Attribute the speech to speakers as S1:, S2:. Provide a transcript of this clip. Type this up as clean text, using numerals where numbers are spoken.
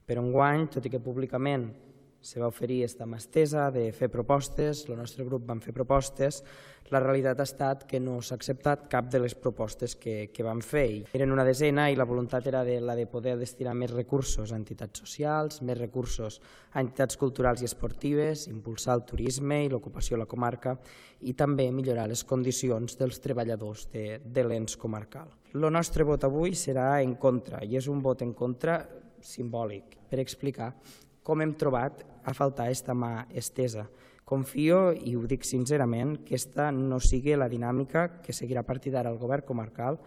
S1: Per enguany, tot i que públicament se va oferir esta mà estesa de fer propostes, el nostre grup vam fer propostes, la realitat ha estat que no s'ha acceptat cap de les propostes que vam fer. Eren una desena i la voluntat era la de poder destinar més recursos a entitats socials, més recursos a entitats culturals i esportives, impulsar el turisme i l'ocupació a la comarca i també millorar les condicions dels treballadors de l'ens comarcal. El nostre vot avui serà en contra i és un vot en contra simbòlic per explicar com hem trobat a faltar aquesta mà estesa. Confio, i ho dic sincerament, que aquesta no sigui la dinàmica que seguirà a partir d'ara el govern comarcal,